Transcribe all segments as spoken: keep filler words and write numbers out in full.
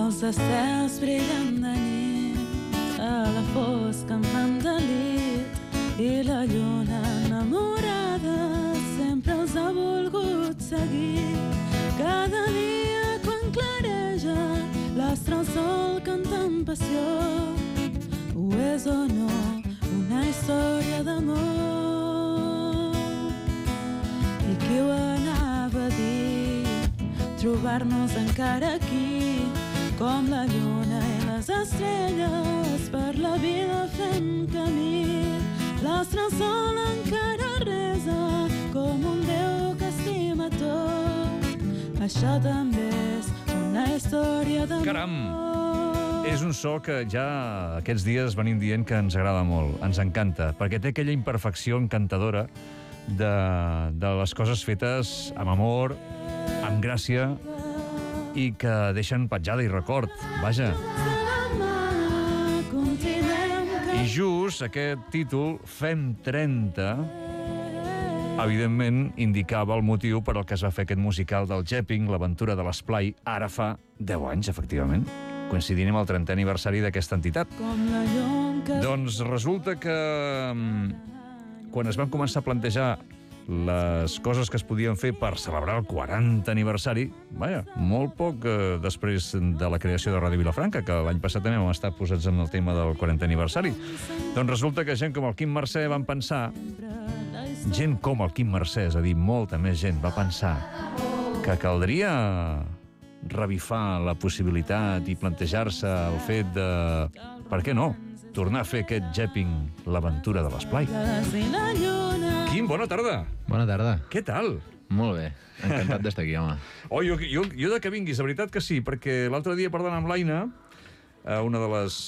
Els estels brillen de nit a la fosca amb fan delit i la lluna enamorada sempre els ha volgut seguir. Cada dia quan clareja l'astre al sol canta amb passió. Ho és o no una història d'amor? I qui ho anava a dir? Trobar-nos encara aquí, com la lluna i les estrelles, per la vida fem camí. L'astre al sol encara resa, com un Déu que estima tot. Això també és una història d'amor. Caram! És un so que ja aquests dies venim dient que ens agrada molt, ens encanta, perquè té aquella imperfecció encantadora de, de les coses fetes amb amor, amb gràcia, i que deixen petjada i record, vaja. I just aquest títol, Fem trenta, evidentment indicava el motiu per al que es va fer aquest musical del Jepping, l'aventura de l'esplai, ara fa deu anys, efectivament, coincidint amb el trentè aniversari d'aquesta entitat. Doncs resulta que quan es van començar a plantejar les coses que es podien fer per celebrar el quaranta aniversari, vaja, molt poc eh, després de la creació de Ràdio Vilafranca, que l'any passat també vam estar posats en el tema del quarantè aniversari. Doncs resulta que gent com el Quim Mercè van pensar, gent com el Quim Mercè, és a dir, molta més gent, va pensar que caldria revifar la possibilitat i plantejar-se el fet de, per què no, tornar a fer aquest Jepping, l'aventura de l'esplai. Quim, bona tarda. Bona tarda. Què tal? Molt bé, encantat d'estar aquí, home. Oh, jo, jo, jo de que vinguis, la veritat que sí, perquè l'altre dia parlant amb l'Aina, una de les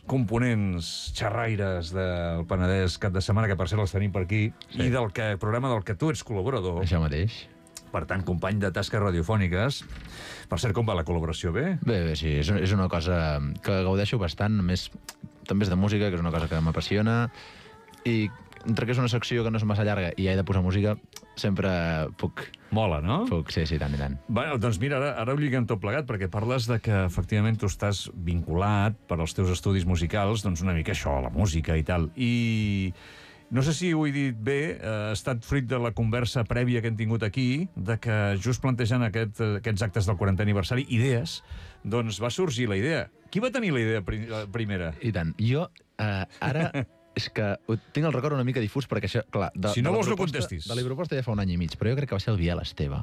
components xerraires del Penedès cap de setmana, que per cert els tenim per aquí, sí. I del que, programa del que tu ets col·laborador. Això mateix. Per tant, company de tasques radiofòniques. Per cert, com va la col·laboració? Bé? Bé, bé, sí, és, és una cosa que gaudeixo bastant, només també és de música, que és una cosa que m'apassiona, i entre que és una secció que no és massa llarga i he de posar música, sempre puc... Mola, no? Puc, sí, sí, tant i tant. Bueno, doncs mira, ara, ara ho lliguem tot plegat, perquè parles de que efectivament tu estàs vinculat per als teus estudis musicals, doncs una mica això, la música i tal. I no sé si ho he dit bé, eh, ha estat fruit de la conversa prèvia que hem tingut aquí, de que just plantejant aquest, aquests actes del quarantè aniversari, idees, doncs va sorgir la idea. Qui va tenir la idea pri primera? I tant. Jo, eh, ara... és que tinc el record una mica difús, perquè això, clar... De, si no de vols, proposta, no contestis. De la proposta ja fa un any i mig, però jo crec que va ser el Biel Esteve,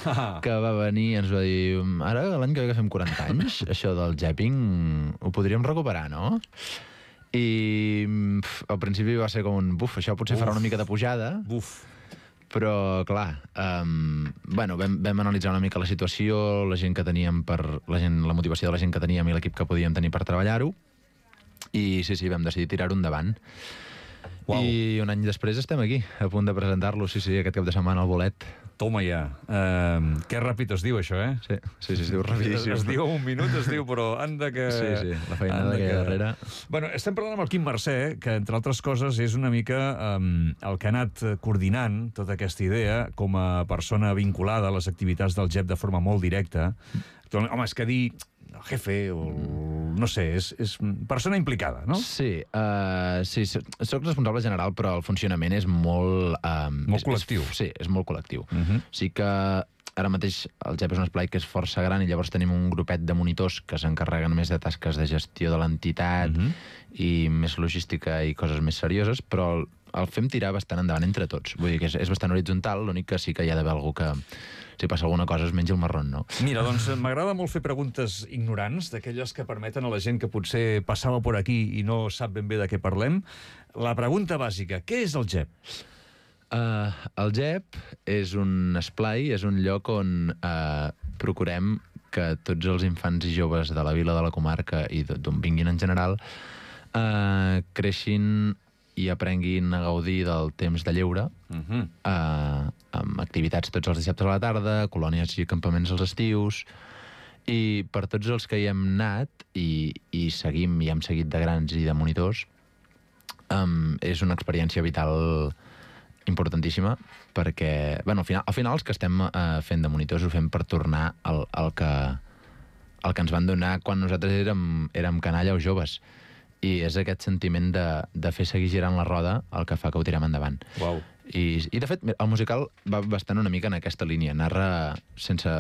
ah. que va venir i ens va dir, ara, l'any que ve que fem quaranta anys, això del Jepping ho podríem recuperar, no? I pf, al principi va ser com un, buf, això potser Uf. farà una mica de pujada, Buf. però, clar, um, bueno, vam, vam analitzar una mica la situació, la gent que teníem per... La, gent, la motivació de la gent que teníem i l'equip que podíem tenir per treballar-ho, i sí, sí, vam decidir tirar-ho endavant. Wow. I un any després estem aquí, a punt de presentar-lo, sí, sí, aquest cap de setmana al Bolet. Toma ja. Uh, que ràpid es diu, això, eh? Sí, sí, sí, es diu rapidíssim. Es, es diu un minut, es diu, però anda que... Sí, sí, la feinada que hi ha darrere. Bueno, estem parlant amb el Quim Mercè, que, entre altres coses, és una mica um, el que ha anat coordinant tota aquesta idea com a persona vinculada a les activitats del Jep de forma molt directa. Home, és que dir el jefe o no sé, és, és persona implicada, no? Sí, uh, sí, soc responsable general, però el funcionament és molt... Um, molt és, col·lectiu. És, sí, és molt col·lectiu. Uh -huh. Sí que ara mateix el Jep és un esplai que és força gran i llavors tenim un grupet de monitors que s'encarreguen més de tasques de gestió de l'entitat uh -huh. i més logística i coses més serioses, però el, el fem tirar bastant endavant entre tots. Vull dir que és, és bastant horitzontal, l'únic que sí que hi ha d'haver algú que... si passa alguna cosa es menja el marrón, no? Mira, doncs m'agrada molt fer preguntes ignorants, d'aquelles que permeten a la gent que potser passava per aquí i no sap ben bé de què parlem. La pregunta bàsica, què és el Jep? Uh, el Jep és un esplai, és un lloc on uh, procurem que tots els infants i joves de la vila, de la comarca i d'on vinguin en general uh, creixin i aprenguin a gaudir del temps de lleure, uh-huh. eh, amb activitats tots els dissabtes a la tarda, colònies i campaments als estius, i per tots els que hi hem anat i, i seguim i hem seguit de grans i de monitors, um, és una experiència vital importantíssima, perquè, bueno, al final, al final els que estem eh, fent de monitors ho fem per tornar al, al que el que ens van donar quan nosaltres érem, érem canalla o joves. I és aquest sentiment de, de fer seguir girant la roda el que fa que ho tirem endavant. Uau. I, I, de fet, el musical va bastant una mica en aquesta línia. Narra sense...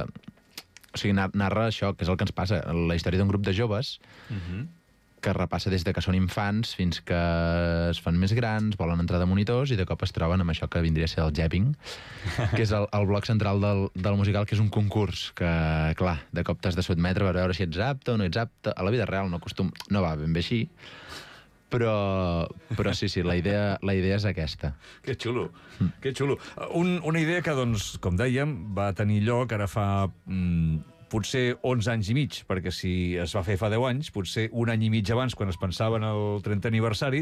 O sigui, narra això, que és el que ens passa. La història d'un grup de joves uh-huh. que repassa des de que són infants fins que es fan més grans, volen entrar de monitors i de cop es troben amb això que vindria a ser el japping, que és el, el bloc central del, del musical, que és un concurs que, clar, de cop t'has de sotmetre per veure si ets apte o no ets apte. A la vida real no, costum... no va ben bé així, però, però sí, sí, la idea, la idea és aquesta. Que xulo, mm. que xulo. Un, una idea que, doncs, com dèiem, va tenir lloc ara fa... Mm, potser onze anys i mig, perquè si es va fer fa deu anys, potser un any i mig abans, quan es pensava en el trentè aniversari,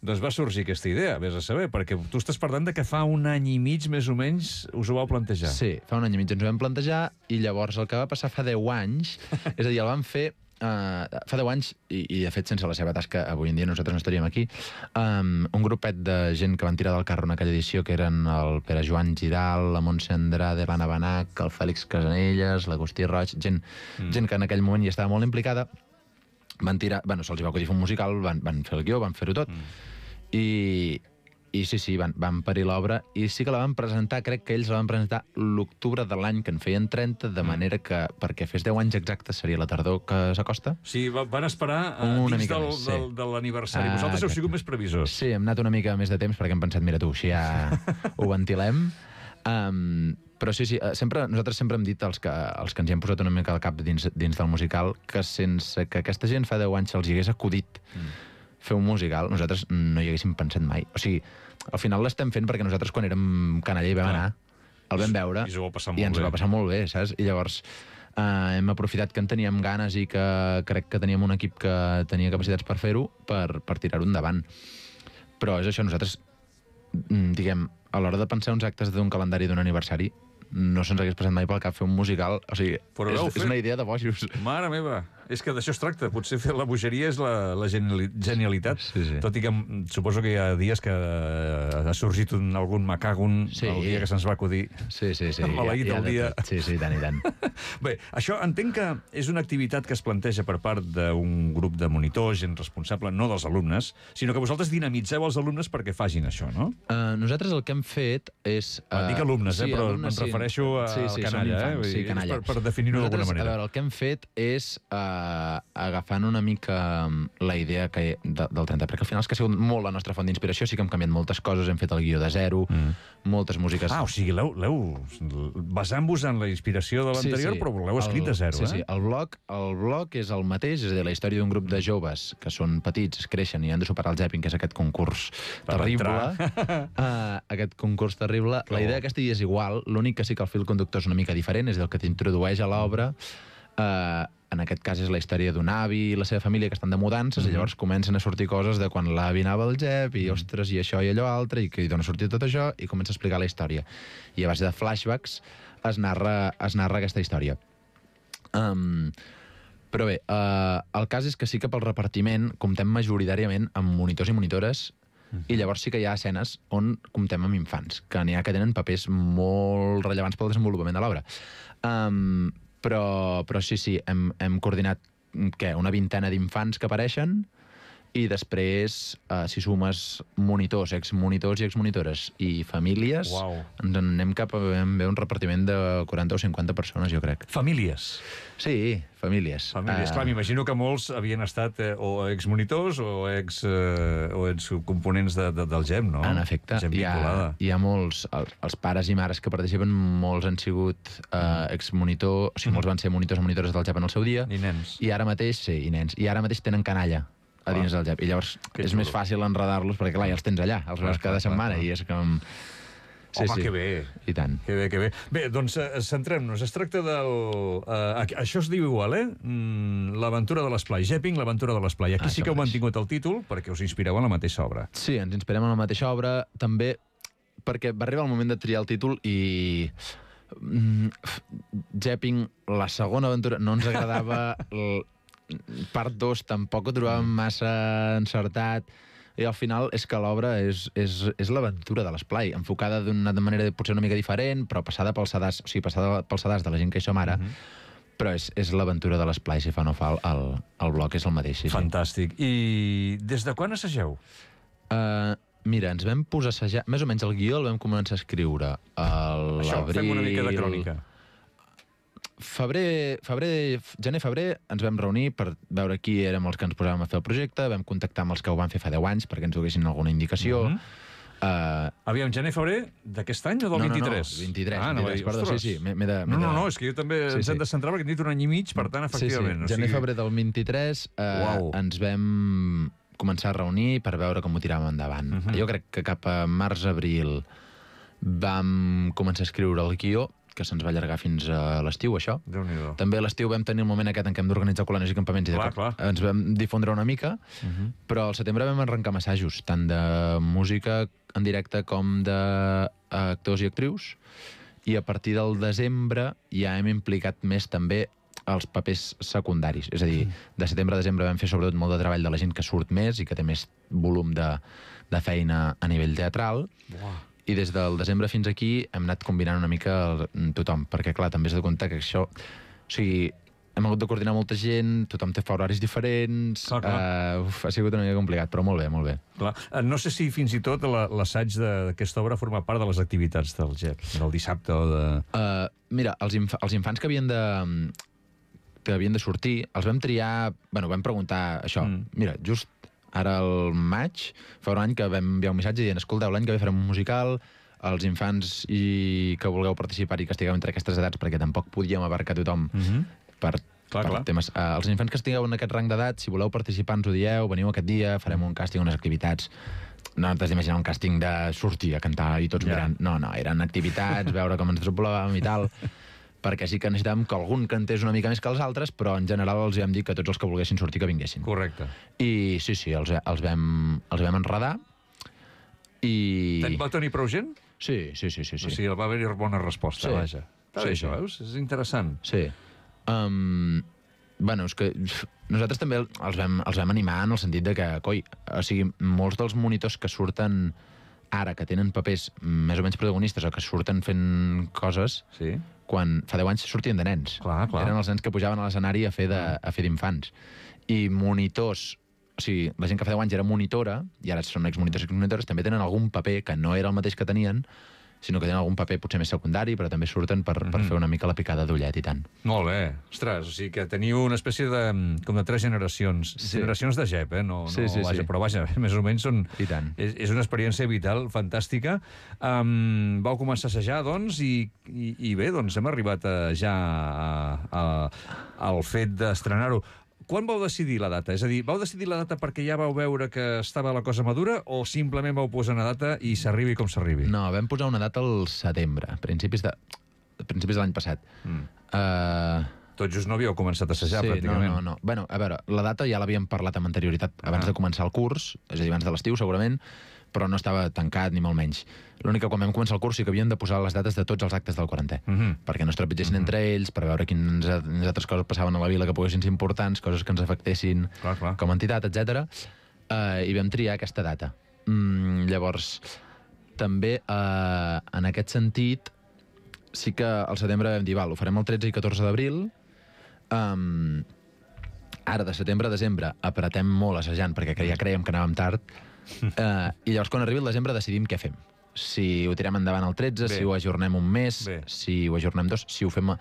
doncs va sorgir aquesta idea, vés a saber, perquè tu estàs parlant de que fa un any i mig, més o menys, us ho vau plantejar. Sí, fa un any i mig ens ho vam plantejar, i llavors el que va passar fa deu anys, és a dir, el vam fer Uh, fa deu anys, i, i de fet sense la seva tasca avui en dia nosaltres no estaríem aquí, um, un grupet de gent que van tirar del carro en aquella edició, que eren el Pere Joan Giral, la Montse Andrade, l'Anna Benach, el Fèlix Casanelles, l'Agustí Roig, gent, mm. gent que en aquell moment hi estava molt implicada, van tirar, bueno, se'ls va acudir fer un musical, van, van fer el guió, van fer-ho tot, mm. i, i sí, sí, van, van parir l'obra, i sí que la van presentar, crec que ells la van presentar l'octubre de l'any que en feien trenta, de manera que, perquè fes deu anys exactes, seria la tardor que s'acosta. Sí, van esperar uh, dins del, més, sí. del, de l'aniversari. Ah, Vosaltres heu sigut més previsors. Sí, hem anat una mica més de temps, perquè hem pensat, mira tu, així ja ho ventilem. Um, però sí, sí, sempre, nosaltres sempre hem dit, els que, els que ens hi hem posat una mica al cap dins, dins del musical, que sense que aquesta gent fa deu anys se'ls hi hagués acudit mm. fer un musical, nosaltres no hi haguéssim pensat mai. O sigui, al final l'estem fent perquè nosaltres quan érem canalla hi vam anar, el vam veure i, i ens bé. va passar molt bé, saps? I llavors eh, hem aprofitat que en teníem ganes i que crec que teníem un equip que tenia capacitats per fer-ho, per, per tirar-ho endavant. Però és això, nosaltres, diguem, a l'hora de pensar uns actes d'un calendari d'un aniversari, no se'ns hagués passat mai pel cap fer un musical, o sigui, és, és una idea de bojos. Mare meva, és que d'això es tracta. Potser fer la bogeria és la, la genialitat. Sí, sí. Tot i que suposo que hi ha dies que ha sorgit un, algun macàgon sí. el dia que se'ns va acudir. Sí, sí, sí. Maleït ja, ja el dia. Sí, sí, tant i tant. Bé, això entenc que és una activitat que es planteja per part d'un grup de monitors, gent responsable, no dels alumnes, sinó que vosaltres dinamitzeu els alumnes perquè facin això, no? Uh, nosaltres el que hem fet és... Uh, Dic alumnes, sí, eh, però alumnes, em refereixo sí. al sí, sí, canalla, infants, eh? Sí, canalla. Per, per definir-ho d'alguna manera. A veure, el que hem fet és... Uh, agafant una mica la idea que de, del trenta, perquè al final és que ha sigut molt la nostra font d'inspiració, sí que hem canviat moltes coses, hem fet el guió de zero, mm. moltes músiques... Ah, o sigui, l'heu basant-vos en la inspiració de l'anterior, sí, sí. però l'heu escrit de zero, sí, eh? Sí, sí, el blog, el blog és el mateix, és a dir, la història d'un grup de joves que són petits, creixen i han de superar el Japping, que és aquest concurs per terrible. uh, aquest concurs terrible. Que la idea aquesta és igual, l'únic que sí que el fil conductor és una mica diferent, és el que t'introdueix a l'obra. Uh, en aquest cas és la història d'un avi i la seva família que estan de mudances, mm-hmm. i llavors comencen a sortir coses de quan l'avi anava al Jep i, ostres, i això i allò altre, i que d'on ha sortit tot això, i comença a explicar la història. I a base de flashbacks es narra, es narra aquesta història. Um, però bé, uh, el cas és que sí que pel repartiment comptem majoritàriament amb monitors i monitores, mm-hmm. i llavors sí que hi ha escenes on comptem amb infants, que n'hi ha que tenen papers molt rellevants pel desenvolupament de l'obra. Um, Però, però sí, sí, hem, hem coordinat què, una vintena d'infants que apareixen i després, uh, si sumes monitors, exmonitors i exmonitores i famílies, wow. ens en anem cap a un repartiment de quaranta o cinquanta persones, jo crec. Famílies? Sí, famílies. Famílies, uh... clar, m'imagino que molts havien estat eh, o exmonitors o ex, eh, o ex components de, de, del G E M, no? En efecte, hi ha, hi ha molts, els, els pares i mares que participen, molts han sigut uh, exmonitor, o sigui, molts van ser monitors o monitores del G E M en el seu dia. I nens. I ara mateix, sí, i nens. I ara mateix tenen canalla a dins del G E M. I llavors que és xulo. Més fàcil enredar-los perquè, clar, ja els tens allà, els veus cada setmana, i és com... Sí, home, sí. Que bé. I tant. Que bé, que bé. Bé, doncs uh, centrem-nos. Es tracta del... Uh, això es diu igual, eh? Mm, l'aventura de l'esplai. Japping, l'aventura de l'esplai. Aquí ah, sí que heu mantingut el títol perquè us inspireu en la mateixa obra. Sí, ens inspirem en la mateixa obra, també perquè va arribar el moment de triar el títol i... Mm, Japping, la segona aventura, no ens agradava... L... Part dos tampoc ho trobàvem massa encertat, i al final és que l'obra és, és, és l'aventura de l'esplai, enfocada d'una manera potser una mica diferent, però passada pel sedàs, o sigui, passada pel sedàs de la gent que hi som ara, mm-hmm. Però és, és l'aventura de l'esplai, si fa no fa, el, el bloc és el mateix. Sí, Fantàstic. Sí. I des de quan assageu? Uh, mira, ens vam posar a assajar... Més o menys el guió el vam començar a escriure a l'abril... Això, fem una mica de crònica. Febrer, febrer, gener-febrer ens vam reunir per veure qui érem els que ens posàvem a fer el projecte, vam contactar amb els que ho van fer fa deu anys perquè ens donessin alguna indicació. Uh -huh. uh, Aviam, gener-febrer d'aquest any o del no, vint-i-tres? No, no, vint-i-tres, ah, vint-i-tres, perdó, sí, sí. De, no, no, no, és que jo també sí, ens sí. hem de centrar perquè hem dit un any i mig, per tant, efectivament. Sí, sí. Gener-febrer del vint-i-tres uh, wow. ens vam començar a reunir per veure com ho tiràvem endavant. Uh -huh. Jo crec que cap a març-abril vam començar a escriure el guió, que se'ns va allargar fins a l'estiu, això. Déu-n'hi-do. També a l'estiu vam tenir el moment aquest en què hem d'organitzar col·lonis i campaments i clar, clar. ens vam difondre una mica, uh -huh. però al setembre vam arrencar assajos, tant de música en directe com d'actors i actrius, i a partir del desembre ja hem implicat més també els papers secundaris. És a dir, de setembre a desembre vam fer sobretot molt de treball de la gent que surt més i que té més volum de, de feina a nivell teatral. Uau. I des del desembre fins aquí hem anat combinant una mica el, tothom, perquè, clar, també has de comptar que això... O sigui, hem hagut de coordinar molta gent, tothom té horaris diferents... Clar, clar. Uh, uf, ha sigut una mica complicat, però molt bé, molt bé. Clar. No sé si fins i tot l'assaig d'aquesta obra forma part de les activitats del G E P, del dissabte o de... Uh, mira, els, inf els infants que havien de... que havien de sortir, els vam triar... Bueno, vam preguntar això. Mm. Mira, just ara al maig, fa un any que vam enviar un missatge dient, escolteu, l'any que ve farem un musical, els infants i que vulgueu participar i que estigueu entre aquestes edats, perquè tampoc podíem abarcar tothom mm -hmm. per, clar, per clar. temes... Uh, els infants que estigueu en aquest rang d'edat, si voleu participar, ens ho dieu, veniu aquest dia, farem un càsting, unes activitats... No t'has d'imaginar un càsting de sortir a cantar i tots yeah. mirant. No, no, eren activitats, veure com ens trobàvem i tal... perquè sí que necessitàvem que algun cantés una mica més que els altres, però en general els vam dir que tots els que volguessin sortir que vinguessin. Correcte. I sí, sí, els, els, vam, els vam enredar i... Va tenir prou gent? Sí, sí, sí. sí, sí. O sigui, va haver-hi bona resposta, sí. vaja. Està sí, bé, sí. això, veus? És interessant. Sí. Um, bueno, és que nosaltres també els vam, els vam animar en el sentit de que, coi, o sigui, molts dels monitors que surten ara, que tenen papers més o menys protagonistes o que surten fent coses... Sí. Quan fa deu anys sortien de nens. Clar, clar. Eren els nens que pujaven a l'escenari a fer d'infants. I monitors, o sigui, la gent que fa deu anys era monitora, i ara són exmonitors i exmonitores, també tenen algun paper que no era el mateix que tenien, sinó que tenen algun paper potser més secundari, però també surten per, mm-hmm. per fer una mica la picada d'ullet i tant. Molt bé. Ostres, o sigui que teniu una espècie de... com de tres generacions. Sí. Generacions de G E P, eh? No, sí, no, sí, vaja, sí. però vaja, més o menys són... I tant. És, és una experiència vital, fantàstica. Um, vau començar a assajar, doncs, i, i, i bé, doncs hem arribat a, ja a, a, al fet d'estrenar-ho. Quan vau decidir la data? És a dir, vau decidir la data perquè ja vau veure que estava la cosa madura o simplement vau posar una data i s'arribi com s'arribi? No, vam posar una data al setembre, principis de, principis de l'any passat. Mm. Uh... Tot just no havíeu començat a assajar, sí, pràcticament. No, no, no. Bueno, a veure, la data ja l'havíem parlat amb anterioritat abans ah. de començar el curs, és a dir, abans de l'estiu, segurament, però no estava tancat, ni molt menys. L'únic que quan vam començar el curs sí que havíem de posar les dates de tots els actes del quarantè, uh -huh. perquè no es trepitgessin uh -huh. entre ells, per veure quines, quines altres coses passaven a la vila que poguessin ser importants, coses que ens afectessin clar, clar. com a entitat, etcètera. Uh, I vam triar aquesta data. Mm, llavors, també, uh, en aquest sentit, sí que al setembre vam dir, val, ho farem el tretze i catorze d'abril, um, ara de setembre a desembre apretem molt assajant, perquè ja creiem que anàvem tard, uh, i llavors quan arribi el desembre decidim què fem. Si ho tirem endavant el tretze, bé. Si ho ajornem un mes, bé. Si ho ajornem dos, si ho fem...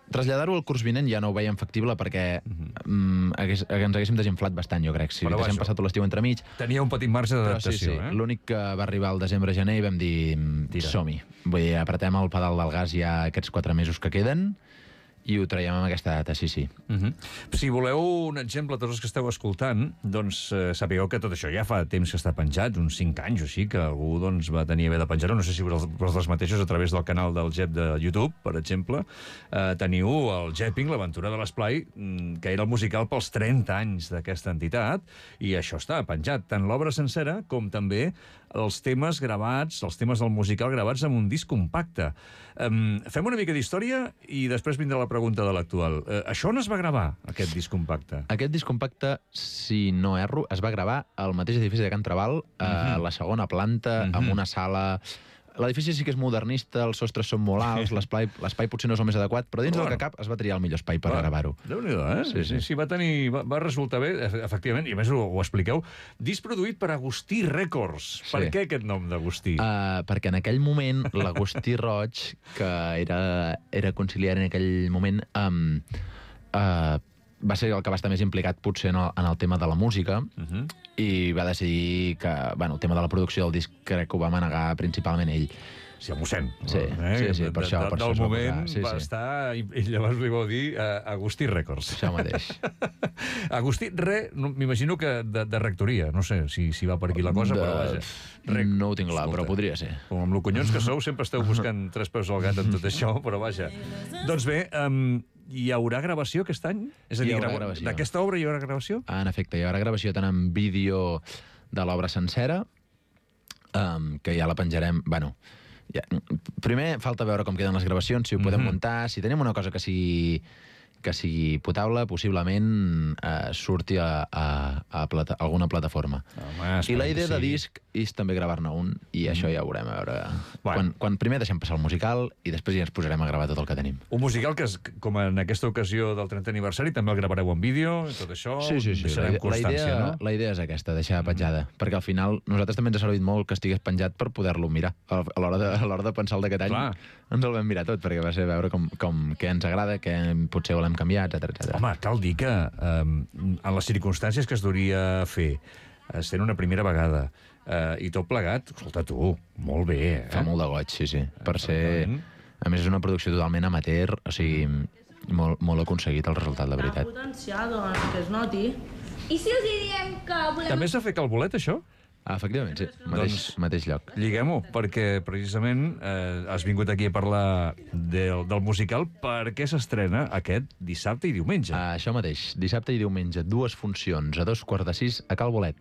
Traslladar-ho al curs vinent ja no ho veiem factible perquè uh-huh. um, hagués, ens haguéssim desinflat bastant, jo crec. Si bueno, haguéssim passat tot l'estiu entremig... Tenia un petit marge d'adaptació, sí, sí. eh? L'únic que va arribar al desembre-gener i vam dir, som-hi. Vull dir, apretem el pedal del gas ja aquests quatre mesos que queden i ho traiem amb aquesta data, sí, sí. Uh-huh. Si voleu un exemple, tots els que esteu escoltant, doncs eh, sapigueu que tot això ja fa temps que està penjat, uns cinc anys o així, que algú doncs, va tenir haver de penjar-ho, no sé si vosaltres mateixos a través del canal del G E P de YouTube, per exemple, eh, teniu el Geping, l'aventura de l'esplai, que era el musical pels trenta anys d'aquesta entitat, i això està penjat, tant l'obra sencera com també els temes gravats, els temes del musical gravats amb un disc compacte. Um, fem una mica d'història i després vindrà la pregunta de l'actual. Uh, això on es va gravar, aquest disc compacte? Aquest disc compacte, si no erro, es va gravar al mateix edifici de Can Trabal, a uh-huh. la segona planta, uh-huh. amb una sala l'edifici sí que és modernista, els sostres són molt alts, l'espai potser no és el més adequat, però dins del que cap es va triar el millor espai per gravar-ho. Déu-n'hi-do, eh? Sí, sí. Sí, va tenir... Va resultar bé, efectivament, i a més ho, ho expliqueu. Disc produït per Agustí Records. Sí. Per què aquest nom d'Agustí? Uh, perquè en aquell moment l'Agustí Roig, que era, era conciliar en aquell moment, um, uh, va ser el que va estar més implicat potser en el, en el tema de la música uh-huh. i va decidir que, bueno, el tema de la producció del disc crec que ho va manegar principalment ell. Sí, el mossèn. Sí, eh? sí, sí, per això. Per del això moment sí, va sí. estar, i, i llavors li vau dir uh, Agustí Records. Això mateix. Agustí Re, no, m'imagino que de, de rectoria, no sé si, si va per aquí la cosa, de... però vaja. Rec... No ho tinc clar, però podria ser. Com amb loconyons que sou, sempre esteu buscant tres peus al gat en tot això, però vaja. Doncs bé, um, hi haurà gravació aquest any? És a dir, grava... d'aquesta obra hi haurà gravació? Ah, en efecte, hi haurà gravació tant en vídeo de l'obra sencera, um, que ja la penjarem... Bueno, ja... primer falta veure com queden les gravacions, si ho podem mm-hmm. muntar, si tenim una cosa que sigui, que sigui potable, possiblement eh, surti a, a, a, plata... a alguna plataforma. Home, I la idea de disc és també gravar-ne un, i mm. això ja ho veurem a veure. Bueno. Quan, quan primer deixem passar el musical i després ja ens posarem a gravar tot el que tenim. Un musical que, és, com en aquesta ocasió del trentè aniversari, també el gravareu en vídeo, i tot això, sí, sí, sí. deixarem la, constància, la idea, no? La idea és aquesta, deixar petjada, mm. perquè al final nosaltres també ens ha servit molt que estigués penjat per poder-lo mirar. A l'hora de, a l'hora de pensar el d'aquest any, ens el vam mirar tot, perquè va ser veure com, com, què ens agrada, què potser volem canviar, etcètera, etcètera. Home, cal dir que eh, en les circumstàncies que es duria fer, sent una primera vegada, eh, i tot plegat, escolta tu, molt bé, eh? Fa molt de goig, sí, sí. Per ser... A més, és una producció totalment amateur, o sigui, molt, molt aconseguit el resultat, la veritat. Potencial, doncs, que es noti. I si els diem que volem... També s'ha fet Calbolet, això? Ah, efectivament, sí. Mateix, doncs, mateix lloc. Lliguem-ho, perquè precisament eh, has vingut aquí a parlar del, del musical perquè s'estrena aquest dissabte i diumenge. Ah, això mateix, dissabte i diumenge, dues funcions, a dos quarts de sis a Cal Bolet.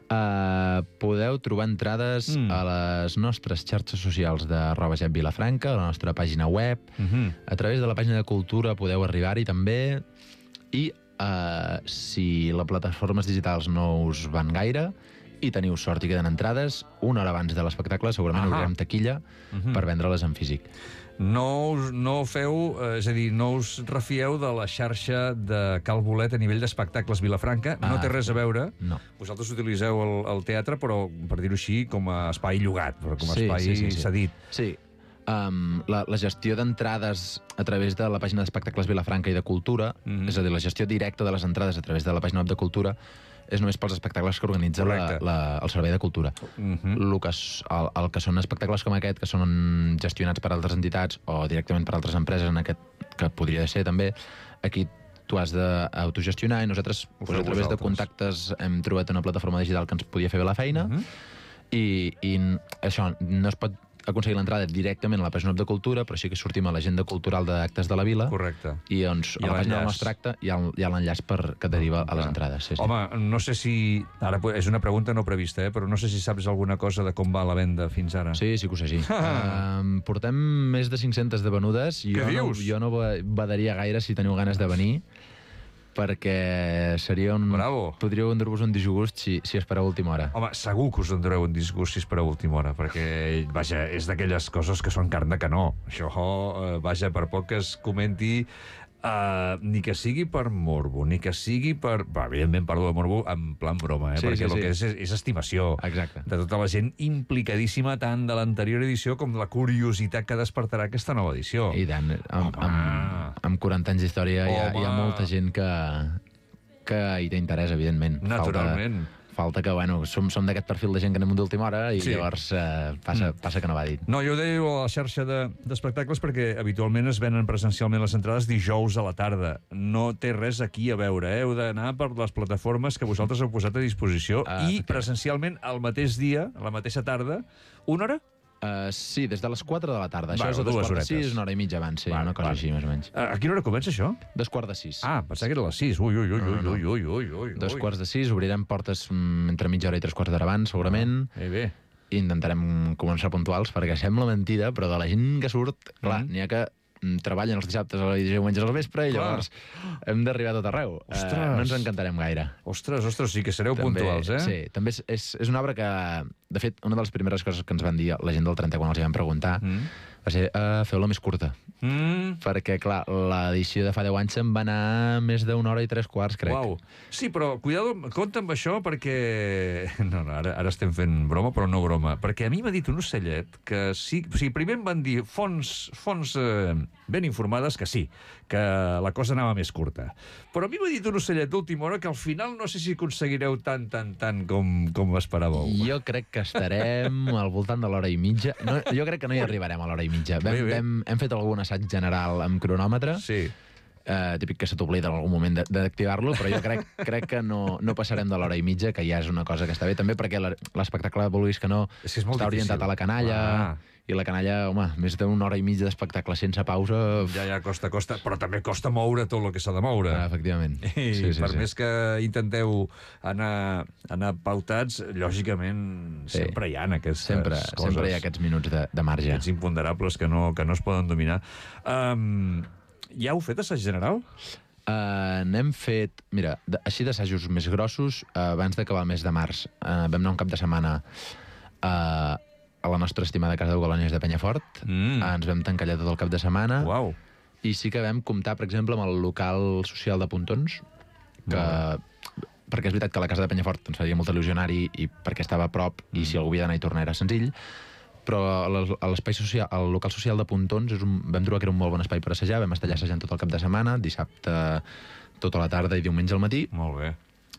Uh, podeu trobar entrades mm. a les nostres xarxes socials de arroba Jep Vilafranca, a la nostra pàgina web, mm-hmm. a través de la pàgina de Cultura podeu arribar-hi també, i uh, si les plataformes digitals no us van gaire, i teniu sort i queden entrades, una hora abans de l'espectacle segurament obrirem taquilla uh-huh. per vendre-les en físic. No, us, no feu, eh, és a dir, no us refieu de la xarxa de Cal Bolet a nivell d'espectacles Vilafranca, ah, no té res a veure. No. Vosaltres utilitzeu el, el teatre, però, per dir-ho així, com a espai llogat, però com a sí, espai sí, sí, sí. cedit. Sí. Um, la, la gestió d'entrades a través de la pàgina d'espectacles Vilafranca i de Cultura, mm-hmm. és a dir, la gestió directa de les entrades a través de la pàgina web de Cultura, és només pels espectacles que organitza la, la, el Servei de Cultura. Uh-huh. el, que, el, el que són espectacles com aquest, que són gestionats per altres entitats o directament per altres empreses, en aquest, que podria ser també, aquí tu has d'autogestionar i nosaltres, pues, a través de contactes, hem trobat una plataforma digital que ens podia fer bé la feina uh-huh. i, i això, no es pot aconseguir l'entrada directament a la pàgina web de Cultura, però sí que sortim a l'agenda cultural d'actes de la vila. Correcte. I doncs I a la pàgina del nostre acte hi ha, hi ha l'enllaç que deriva a les entrades. Sí, sí. Home, no sé si... Ara és una pregunta no prevista, eh? Però no sé si saps alguna cosa de com va la venda fins ara. Sí, sí que ho sé, sí. uh, portem més de cinc-centes de venudes. Què jo dius? No, jo no badaria gaire si teniu ganes de venir, perquè seria un... Bravo. Podríeu endur-vos un disgust si, si espereu a última hora. Home, segur que us endureu un disgust si espereu a última hora, perquè, vaja, és d'aquelles coses que són carn de canó. Això, eh, vaja, per poc que es comenti, Uh, ni que sigui per morbo, ni que sigui per... Va, evidentment parlo de morbo en plan broma, eh? Sí, perquè sí, el sí. que és, és, és estimació. Exacte. De tota la gent implicadíssima tant de l'anterior edició com de la curiositat que despertarà aquesta nova edició. I tant, amb, amb, amb quaranta anys d'història hi, hi ha molta gent que, que hi té interès, evidentment. Naturalment. Falta... Falta que, bueno, som, som d'aquest perfil de gent que anem d'última hora i sí. llavors eh, passa, mm. passa que no va dit. No, jo ho deia a la xarxa d'espectacles de, perquè habitualment es venen presencialment les entrades dijous a la tarda. No té res aquí a veure, eh? Heu d'anar per les plataformes que vosaltres heu posat a disposició ah, i presencialment al mateix dia, a la mateixa tarda, una hora? Uh, sí, des de les quatre de la tarda. Bueno, això és a dos quarts de sis, una hora i mitja abans, sí, vale, una cosa vale. així, més o menys. A quina hora comença això? Dos quarts de sis. Ah, pensava que era a les sis. Ui, ui, ui, ui, ui, ui, ui, ui. Dos quarts de sis, obrirem portes mm, entre mitja hora i tres quarts d'hora abans, segurament. Ah, bé, bé. I intentarem començar puntuals, perquè sembla mentida, però de la gent que surt, clar, mm. n'hi ha que treballen els dissabtes i diumenges al vespre i llavors hem d'arribar a tot arreu. Uh, no ens encantarem gaire. Ostres, ostres, sí que sereu també, puntuals, eh? Sí, també és, és, és una obra que, de fet, una de les primeres coses que ens van dir la gent del trenta quan els hi vam preguntar mm. va ser, uh, feu-la més curta. Mm. Perquè, clar, l'edició de fa deu anys se'n va anar més d'una hora i tres quarts, crec. Uau. Sí, però, cuidado, compte amb això, perquè... No, no, ara, ara estem fent broma, però no broma. Perquè a mi m'ha dit un ocellet que sí... O sigui, primer em van dir fonts, fonts eh, ben informades que sí, que la cosa anava més curta. Però a mi m'ha dit un ocellet d'última hora que al final no sé si aconseguireu tant, tant, tant com, com esperàveu. Jo crec que estarem al voltant de l'hora i mitja. No, jo crec que no hi arribarem a l'hora i mitja. Vam, bé, bé. Vam, hem fet algun assaig general amb cronòmetre. Sí. Uh, típic que se t'oblida en algun moment d'activar-lo, però jo crec, crec que no, no passarem de l'hora i mitja, que ja és una cosa que està bé, també perquè l'espectacle, vulguis que no, és que és està orientat a la canalla, ah. i la canalla, home, més d'una hora i mitja d'espectacle sense pausa... Ja, ja, costa, costa, però també costa moure tot el que s'ha de moure. Ah, efectivament. I sí, sí, per sí. més que intenteu anar, anar pautats, lògicament sí. sempre hi ha aquestes sempre, coses. Sempre hi ha aquests minuts de, de marge. Aquests imponderables que no, que no es poden dominar. Um, ja heu fet assaig general? Uh, n'hem fet... Mira, de, així d'assajos més grossos, uh, abans d'acabar el mes de març, uh, vam anar un cap de setmana uh, a la nostra estimada casa de colònies de Penyafort. Mm. Uh, ens vam tancar allà tot el cap de setmana. Uau. I sí que vam comptar, per exemple, amb el local social de Pontons, que... perquè és veritat que la casa de Penyafort ens faria molt il·lusió anar-hi i perquè estava a prop mm. i si algú havia d'anar i tornar era senzill, però a l'espai social, al local social de Pontons és un, vam trobar que era un molt bon espai per assajar, vam estar allà assajant tot el cap de setmana, dissabte tota la tarda i diumenge al matí. Molt bé.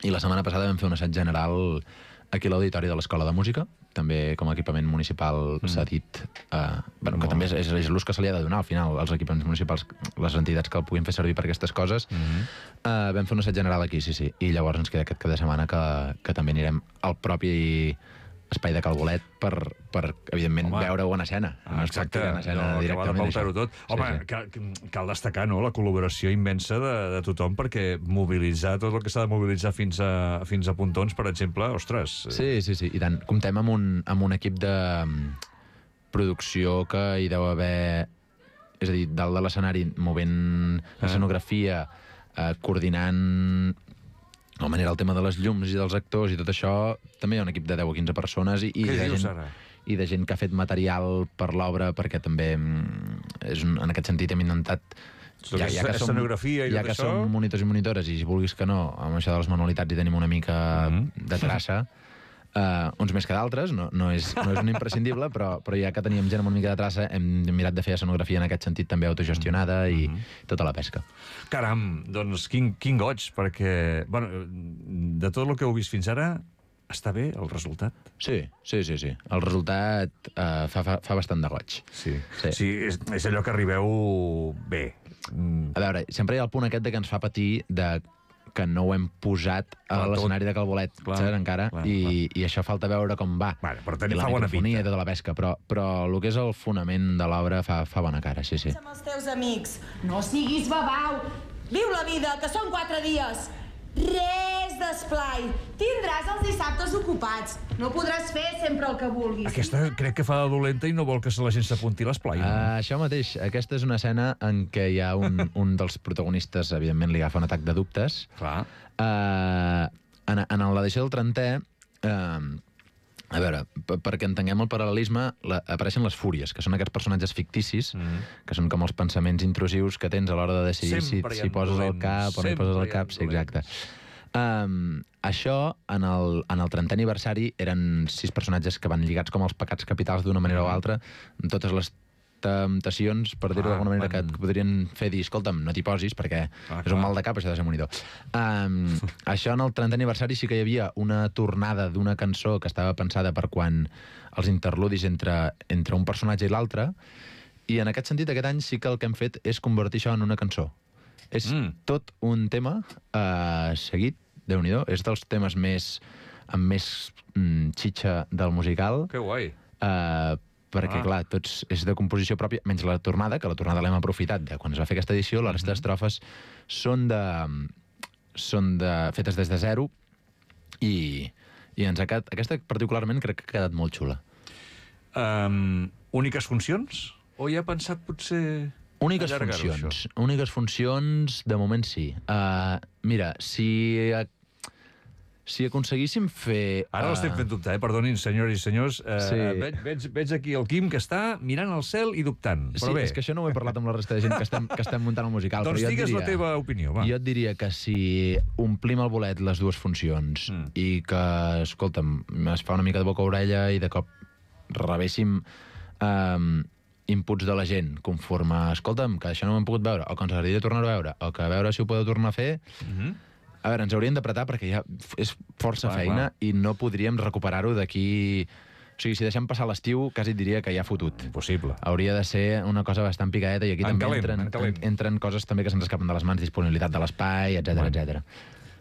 I la setmana passada vam fer un assaig general aquí a l'auditori de l'Escola de Música, també com a equipament municipal mm. s'ha dit, eh, bueno, que també és, és, és l'ús que se li ha de donar al final, als equipaments municipals, les entitats que el puguin fer servir per aquestes coses. Mm-hmm. eh, vam fer un assaig general aquí, sí, sí, i llavors ens queda aquest cap de setmana que, que també anirem al propi espai de Calbolet per, per evidentment, home, veure-ho en escena. Ah, exacte, en escena no, directament. Que tot. Home, sí, sí. Cal, cal destacar no, la col·laboració immensa de, de tothom, perquè mobilitzar tot el que s'ha de mobilitzar fins a, fins a Pontons, per exemple, ostres... Sí, sí, sí, i tant. Comptem amb un, amb un equip de producció que hi deu haver... És a dir, dalt de l'escenari, movent escenografia, eh, coordinant... de manera el tema de les llums i dels actors i tot això, també hi ha un equip de deu o quinze persones i, i, de, dius, gent, i de gent que ha fet material per l'obra, perquè també és un, en aquest sentit hem intentat... Ja, ja que som, escenografia i ja tot que això... som monitors i monitores i si vulguis que no, amb això de les manualitats hi tenim una mica mm-hmm. de traça, Uh, uns més que d'altres, no, no, és, no és un imprescindible, però, però ja que teníem gent amb una mica de traça, hem mirat de fer escenografia en aquest sentit també autogestionada i mm-hmm. tota la pesca. Caram, doncs quin, quin goig, perquè bueno, de tot el que heu vist fins ara, està bé el resultat? Sí, sí, sí, sí. El resultat uh, fa, fa, fa bastant de goig. Sí, sí. sí és, és allò que arribeu bé. Mm. A veure, sempre hi ha el punt aquest de que ens fa patir de que no ho hem posat a l'escenari de Calbolet, clar, saps, encara, clar, i, clar. I això falta veure com va. Vale, però també I la fa bona microfonia i tota la pesca, però, però el que és el fonament de l'obra fa, fa bona cara, sí, sí. Amb els teus amics, no siguis babau, viu la vida, que són quatre dies. Res d'esplai. Tindràs els dissabtes ocupats. No podràs fer sempre el que vulguis. Aquesta crec que fa de dolenta i no vol que la gent s'apunti a l'esplai. No? Uh, això mateix. Aquesta és una escena en què hi ha un, un dels protagonistes, evidentment, li agafa un atac de dubtes. Clar. Uh, en en l'edició del trentè, uh, a veure, perquè entenguem el paral·lelisme, la, apareixen les fúries, que són aquests personatges ficticis, mm. que són com els pensaments intrusius que tens a l'hora de decidir si, si poses dolents. El cap o no hi poses el cap. Sí, exacte. Um, això, en el, en el trentè aniversari, eren sis personatges que van lligats com els pecats capitals d'una manera mm. o altra, amb totes les temptacions, per dir-ho ah, d'alguna manera, van... que et podrien fer dir, escolta'm, no t'hi posis, perquè ah, és un mal de cap, això de ser monitor. Um, això, en el trentè aniversari, sí que hi havia una tornada d'una cançó que estava pensada per quan els interludis entre, entre un personatge i l'altre, i en aquest sentit, aquest any sí que el que hem fet és convertir això en una cançó. És mm. tot un tema uh, seguit, Déu-n'hi-do, és dels temes més amb més mm, xitxa del musical. Que guai. Uh, perquè, ah. clar, tots és de composició pròpia, menys la tornada, que la tornada l'hem aprofitat de quan es va fer aquesta edició, la resta d'estrofes són de... són de, fetes des de zero i, i ens ha quedat, aquesta particularment crec que ha quedat molt xula. Um, úniques funcions? O hi ha pensat potser Úniques funcions. Úniques funcions, de moment sí. Uh, mira, si... Si aconseguíssim fer... Ara uh... l'estem fent dubtar, eh? Perdonin, senyores i senyors. Uh, sí. veig, veig, veig aquí el Quim que està mirant al cel i dubtant. Però sí, bé. És que això no ho he parlat amb la resta de gent que estem, que estem muntant el musical. Doncs però digues diria, la teva opinió, va. Jo et diria que si omplim al bolet les dues funcions mm. i que, escolta'm, es fa una mica de boca a orella i de cop rebéssim um, inputs de la gent conforme, escolta'm, que això no ho hem pogut veure, o que ens agradaria tornar-ho a veure, o que a veure si ho podeu tornar a fer... Mm-hmm. A veure, ens hauríem d'apretar perquè ja és força clar, feina clar. I no podríem recuperar-ho d'aquí... O sigui, si deixem passar l'estiu, quasi et diria que ja ha fotut. Impossible. Hauria de ser una cosa bastant picadeta i aquí en també calent, entren, en entren coses també que se'ns escapen de les mans, disponibilitat de l'espai, etcètera, bueno. etcètera.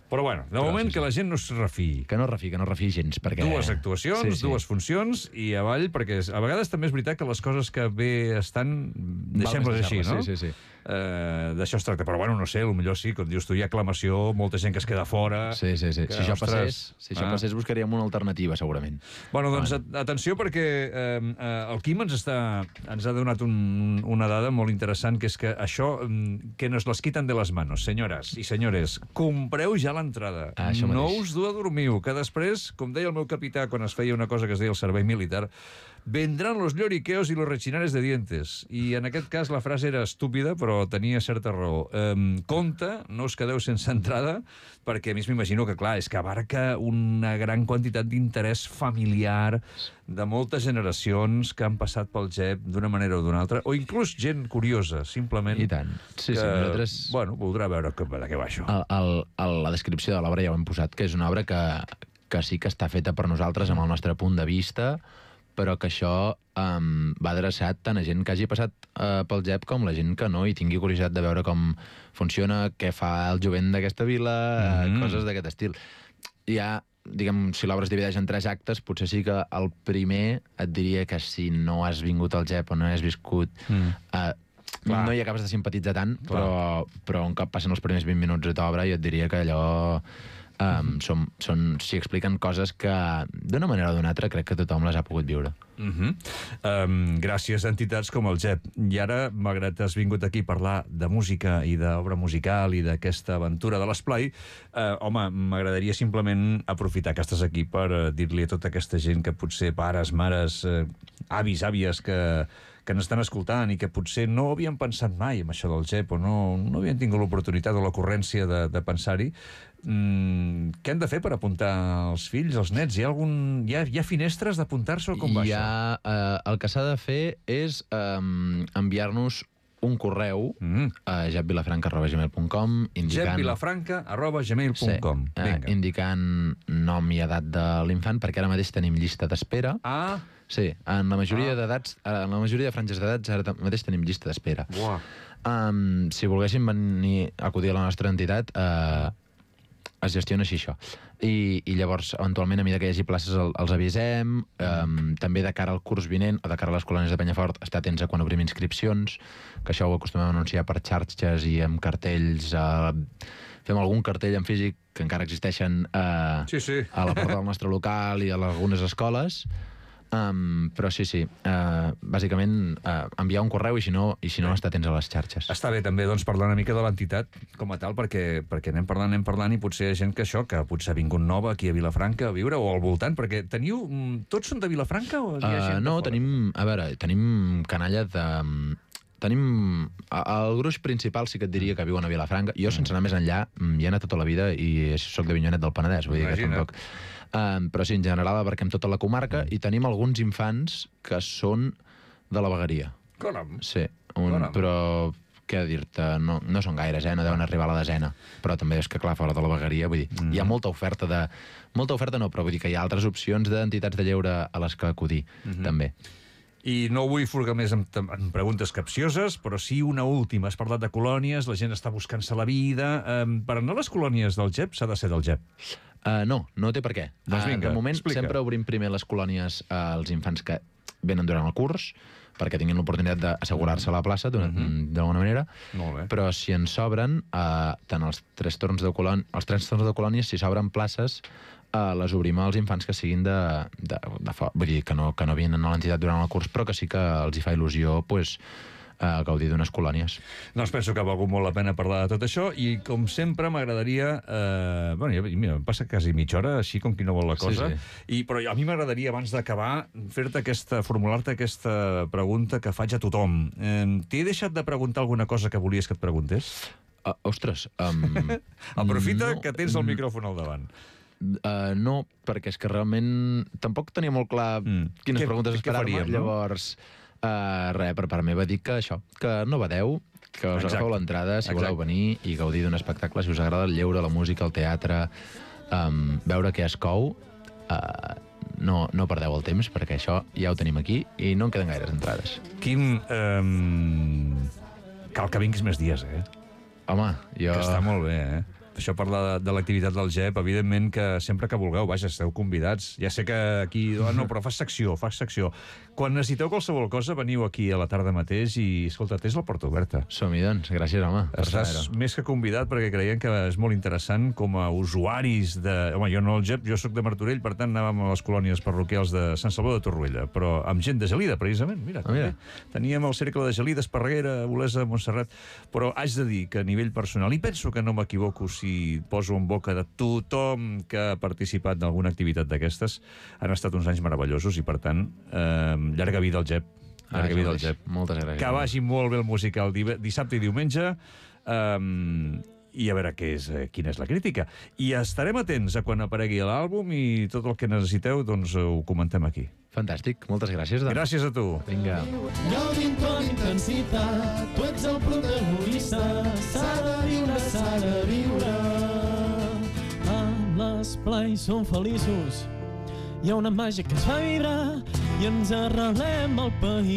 Però bueno, de Però, moment sí, sí. que la gent no es refiï. Que no es refiï, que no es refiï gens, perquè... Dues actuacions, sí, sí. dues funcions i avall, perquè a vegades també és veritat que les coses que bé estan, deixem-les així, no? Sí, sí, sí. Uh, d'això es tracta, però bueno, no sé, potser sí, com dius tu, hi ha aclamació, molta gent que es queda fora... Sí, sí, sí. Que, si això ostres, passés, si això ah. passés buscaríem una alternativa, segurament. Bueno, doncs bueno. atenció, perquè eh, el Quim ens, està, ens ha donat un, una dada molt interessant, que és que això, que nos les quiten de les manos, senyores i senyores, compreu ja l'entrada. Ah, no us du a dormiu, que després, com deia el meu capità quan es feia una cosa que es deia el servei militar, vendran los lloriqueos y los rechinares de dientes. I en aquest cas la frase era estúpida, però tenia certa raó. Um, compte, no us quedeu sense entrada, perquè a mi m'imagino que, clar, és que abarca una gran quantitat d'interès familiar de moltes generacions que han passat pel G E P d'una manera o d'una altra, o inclús gent curiosa, simplement... I tant. Sí, que, sí, nosaltres... Bueno, voldrà veure que, de què va això. El, el, el, la descripció de l'obra ja ho hem posat, que és una obra que, que sí que està feta per nosaltres amb el nostre punt de vista, però que això um, va adreçat tant a gent que hagi passat uh, pel G E P com la gent que no, i tingui curiositat de veure com funciona, què fa el jovent d'aquesta vila, mm-hmm. uh, coses d'aquest estil. Ja, diguem, si l'obra es divideix en tres actes, potser sí que el primer et diria que si no has vingut al G E P o no has viscut... Mm. Uh, no hi acabes de simpatitzar tant, però, però un cop passen els primers vint minuts d'obra jo et diria que allò... Um, són, són, s'hi expliquen coses que d'una manera o d'una altra crec que tothom les ha pogut viure. Uh-huh. um, gràcies a entitats com el G E P. I ara, malgrat que has vingut aquí a parlar de música i d'obra musical i d'aquesta aventura de l'esplai, uh, home, m'agradaria simplement aprofitar que estàs aquí per uh, dir-li a tota aquesta gent que potser pares, mares, uh, avis, àvies que que ens estan escoltant i que potser no havien pensat mai en això del G E P o no, no havien tingut l'oportunitat o l'ocurrència de, de pensar-hi. Mm, què han de fer per apuntar els fills, els nets? Hi ha, algun, hi ha, hi ha finestres d'apuntar-se o com va hi això? Ha, eh, el que s'ha de fer és eh, enviar-nos un correu mm. a jepvilafranca arroba gmail punt com indicant... jepvilafranca arroba gmail punt com sí, eh, indicant nom i edat de l'infant, perquè ara mateix tenim llista d'espera. Ah! Sí, en la majoria ah. d'edats, en la majoria de franges d'edats ara mateix tenim llista d'espera. Um, si volguéssim venir a acudir a la nostra entitat, uh, es gestiona així això. I, i llavors, eventualment, a mesura que hi hagi places, el, els avisem. Um, també de cara al curs vinent, o de cara a les colònies de Penyafort, estar atents a quan obrim inscripcions, que això ho acostumem a anunciar per xarxes i amb cartells. Uh, fem algun cartell en físic, que encara existeixen uh, sí, sí. a la porta del nostre local i a algunes escoles. Um, però sí, sí, uh, bàsicament uh, enviar un correu i si no, i si no estar atents a les xarxes. Està bé també doncs, parlar una mica de l'entitat com a tal, perquè, perquè anem parlant, anem parlant i potser hi ha gent que això, que potser ha vingut nova aquí a Vilafranca a viure o al voltant, perquè teniu... Tots són de Vilafranca o hi ha gent uh, no, de fora? tenim, a veure, tenim canalla de... Tenim... El gruix principal sí que et diria que viuen a Vilafranca. Jo, sense anar més enllà, hi he anat tota la vida i soc de Avinyonet del Penedès, vull dir que tampoc... Um, però sí, en general abarquem tota la comarca i tenim alguns infants que són de la vegueria. Caram. Sí, un, Caram. Però què dir-te, no, no són gaires, eh? No deuen arribar a la desena. Però també és que, clar, fora de la vegueria, vull dir, mm. hi ha molta oferta de... Molta oferta no, però vull dir que hi ha altres opcions d'entitats de lleure a les que acudir, mm-hmm. també. I no vull furgar més en, en preguntes capcioses, però sí una última. Has parlat de colònies, la gent està buscant-se la vida. Um, per anar a les colònies del G E P s'ha de ser del G E P? Uh, no, no té per què. Doncs vinga, uh, de moment explica. Sempre obrim primer les colònies als infants que venen durant el curs, perquè tinguin l'oportunitat d'assegurar-se a la plaça d'alguna mm-hmm. manera. Molt bé. Però si en s'obren, uh, tant els tres torns de colònies, els tres torns de colònies, si s'obren places, uh, les obrim als infants que siguin de, de, de fora. Vull dir, que no, que no vinen a l'entitat durant el curs, però que sí que els hi fa il·lusió, pues, a gaudir d'unes colònies. Doncs penso que ha valgut molt la pena parlar de tot això i, com sempre, m'agradaria... Eh, bueno, ja, mira, em passa quasi mitja hora, així com qui no vol la cosa. Sí, sí. I, però a mi m'agradaria, abans d'acabar, fer-te aquesta, formular-te aquesta pregunta que faig a tothom. Eh, T'he deixat de preguntar alguna cosa que volies que et preguntés? Uh, ostres... Um, Aprofita no, que tens el micròfon al davant. Uh, no, perquè és que realment tampoc tenia molt clar mm. quines què, preguntes esperar-me. No? Llavors, uh, res, per part meva dic que això, que no badeu, que us Exacte. agafeu l'entrada si Exacte. voleu venir i gaudir d'un espectacle, si us agrada el lleure, la música, el teatre, um, veure què es cou, uh, no, no perdeu el temps, perquè això ja ho tenim aquí i no en queden gaires entrades. Quim, um, cal que vinguis més dies, eh? Home, jo... Que està molt bé, eh? Això parla de, de l'activitat del G E P, evidentment que sempre que vulgueu, vaja, esteu convidats. Ja sé que aquí... Oh, no, però fas secció, fas secció. Quan necessiteu qualsevol cosa, veniu aquí a la tarda mateix i, escolta, tens la porta oberta. Som-hi, doncs. Gràcies, home. Estàs més que convidat perquè creiem que és molt interessant com a usuaris de... Home, jo no el G E P, jo sóc de Martorell, per tant anàvem a les colònies parroquials de Sant Salvador de Torroella, però amb gent de Gelida, precisament. Mira, ah, mira. Teníem el cercle de Gelida, Esparreguera, Olesa, Montserrat, però haig de dir que a nivell personal, i penso que no m'equivoco si poso en boca de tothom que ha participat en alguna activitat d'aquestes, han estat uns anys meravellosos i, per tant, eh, llarga vida al G E P. Llarga ah, vida al G E P. Moltes gràcies. Que vagi molt bé el musical dissabte i diumenge, um, i a veure què és, quina és la crítica. I estarem atents a quan aparegui l'àlbum i tot el que necessiteu, doncs ho comentem aquí. Fantàstic, moltes gràcies. Doncs. Gràcies a tu. Vinga. Gaudint amb intensitat, tu ets el protagonista, s'ha de viure, s'ha de viure. Amb l'esplai som feliços, hi ha una màgia que ens fa vibrar i ens arrelem al país.